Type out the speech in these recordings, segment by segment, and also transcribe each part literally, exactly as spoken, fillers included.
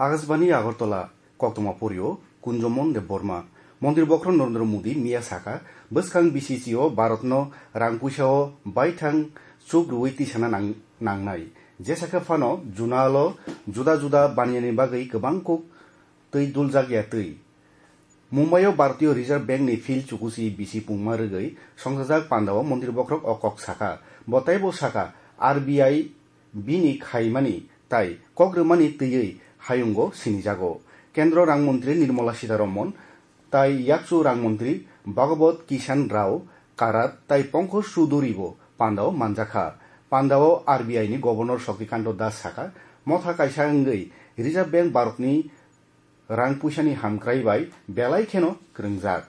Akashbani Agartala, koktwma porio Kunjomon Debbarma. Montri bokhorok Narendra Modi miya sakha, bwskang B C C o Bharatno rang puisao baithang chuk rwui tisana nang-, nangnai. Jesa khe phano Junalo juda juda baniyani bagwi kwbang kuk twi duljak ya twi. Mumbai o Bharatiya Reserve Bank ni field chukuchi bisi pungma rwgwi songchajak pandao montri bokhorok o kok sakha. Bo teibo sakha, R B I bini khaimani tai kok rwmani twiwi hayungo sinijago. Kendro rang montri Nirmala Sitharaman tai yakchu rang montri Bhagawat Kishan Rao Karat tai Pankaj Chaudhary bo pandao manjakha. Pandao R B I ni Governor Shaktikanta Das sakha, motha kaisa wngwi Reserve Bank Bharatni rang puisani hamkrai bai belai kheno kwrwngjak.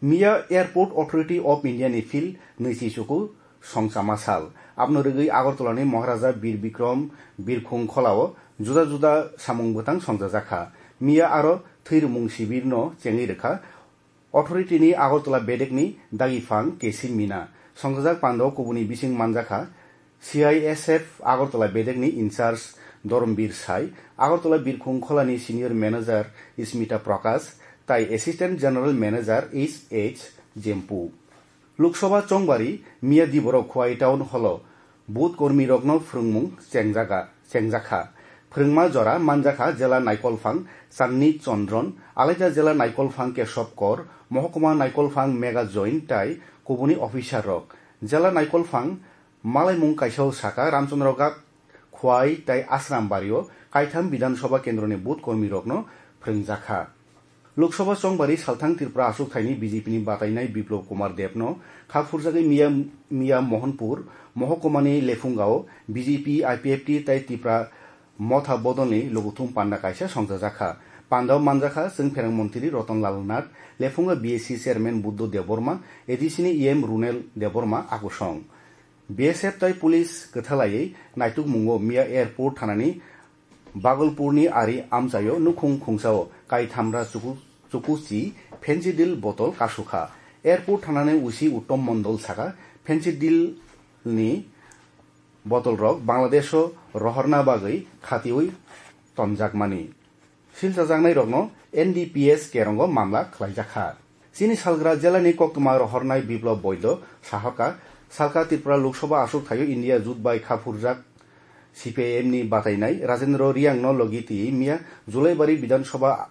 Miya Airport Authority of India ni field nwichi chuku songchama sal. Aboni rwgwi Agartala ni Maharaja Bir Bikram Birkhung Kholao juda juda samung bwtang songchajakha. Miya aro thwirwmung sibir no chengwi rwkha. Authority ni Agartala bedek ni dagi phang K C Mina. Songchajak pandao kubuni bising manjakha C I S F Agartala bedek ni in charge Dorombir Sai, Agartala Birkhung Kholani senior manager Smita Prakash, tai assistant general manager H H Jempu. Lok Sabha chongbari miya diborok Khowai Town Hall o booth kormi rokno phwrwngmung chengjaga, chengjakha. Phwrwngma jora manjakha jela naikolphang Chandni Chandran, alaida jela naikolphang Keshob Kor, mohokuma naikolphang Mega Join tai kubuni officer rok. Jela naikolphang malaimung kaisa o sakha Ramchandra Ghat, Khowai tai Asrambari o kaitham Bidhan Sabha kendroni booth kormi rokno phwrwngjakha. Lok Sabha chongbari salthang Tripura aswkthaini B J P ni batainai Biplab Kumar Debno kha phurjagwi miya, miya Mohanpur mohokuma ni Lephunga o B J P, I P F T tai Tipra Motha bodolni lukuthum panda kaisa songchajakha. Pandao manjakha chwng pherang montri Ratan Lal Nath, Lephunga B S C chairman Buddha Debbarma, A D C ni E M Runel Debbarma akusong. B S F tai police kwthalaiwi naitukmungo miya airport thanani Bagolpurni ari amchaio nukhung khungsao kaithamra chuku-, chukuchi Phensedyl botol kasukha. Airport thanani usi Uttom Mondol sakha, Phensedyl ni botolrok Bangladesho rohorna bagwi khatiui tonjakmani. Silchajaknairokno N D P S kerongo mamla khlaijakha. Chini salgra jelani koktwma rohornai Biplab Boido sahorkha, salka Tripura Lok Sabha aswkthaio India jut bai kha phurjak C P I M ni batainai Rajendra Reang no logi twi miya Julaibari Bidhan Sabha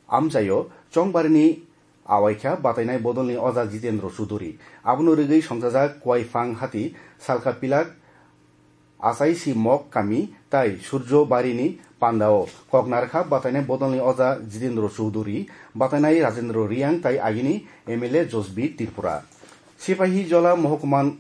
amchaio chongbarini awaikha batainai bodolni oja Jitendra Chaudhary. Abono rwgwi songchajak Kuaifang hati salka pilak Achaisi Mok kami tai Surjo Barini pandao kok narkha batainai bodolni oja Jitendra Chaudhary, batainai Rajendra Reang tai agini M L A Josbir Tripura. Sipahijola mohokuma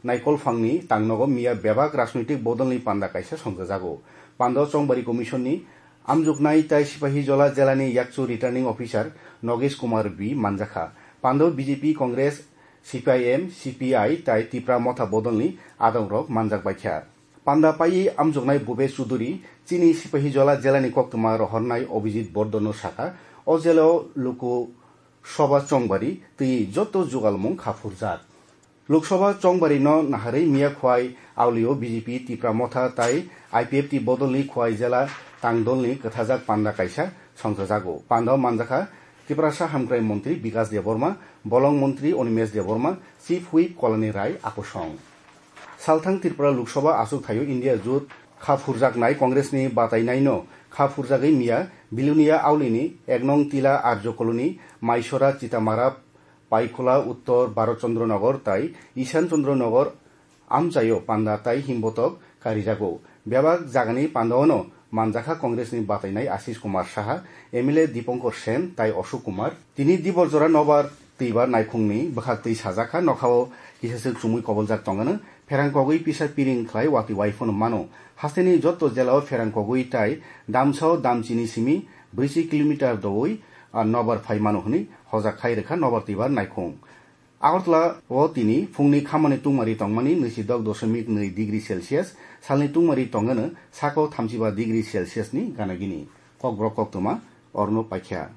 Naikolphangni tangnogo miya bebak rajnoitik bodolni panda kaisa songchajago. Pandao Chongbari Commission ni amjoknai tai Sipahijola jelani yakchu returning officer Nogesh Kumar B manjakha. Pandao B J P, Congress, C P I M, C P I tai Tipra Motha bodolni adongrok manjak baikha. Panda paiwi amjoknai Bhupesh Chaudhary chini Sipahijola jelani koktwma rohornai Abhijit Bardhan no sakha, o jelao luku soba chongbari twi joto jugalmung kha phurjak. Lok Sabha chongbari no naharwi miya Khowai Auli o B J P, Tipra Motha tai I P F T bodolni Khowai jela tangdolni kwthajak panda kaisa songchajago. Pandao manjakha Tiprasa Hamkrai Montri Bikas Debbarma, Bolong Montri Animesh Debbarma, Chief Whip Kalani Rai akusong. Salthang Tripura Lok Sabha aswkthaio India jut kha phurjaknai Congress ni batainaino kha phurjagwi miya Bilonia Auli ni ek nong Tila Arjo Colony, Maisora, Chitamara, Paikhola, Uttor Bharat Chandra Nagar tai Ishan Chandra Nagar amchaio panda tai himbotok karijago. Bebak jagani pandaono manjakha Congress ni batainai Ashish Kumar Saha, M L A Dipankar Sen tai Ashok Kumar. Tini dibor jora nobar twibar naikhungni bwkhak twi sajakha, nokhao kisaswk chumui koboljak tongano, pherang kogwi pisa piring khlai watwi waiphano mano. Hasteni jotto jelao pherang kogwi tai damsao damchini simi brwichi kilometer doui, ah, nobar phai mano hwnwi hojak khai rwkha nobar twibar naikhung. Agartala o tini phungni khamani tungmari tongmani nwichi dok doshomik nwi degree Celsius, salni tungmari tongano sako thamchiba degree Celsius ni gana gini. Kokborok koktwma orno paikha.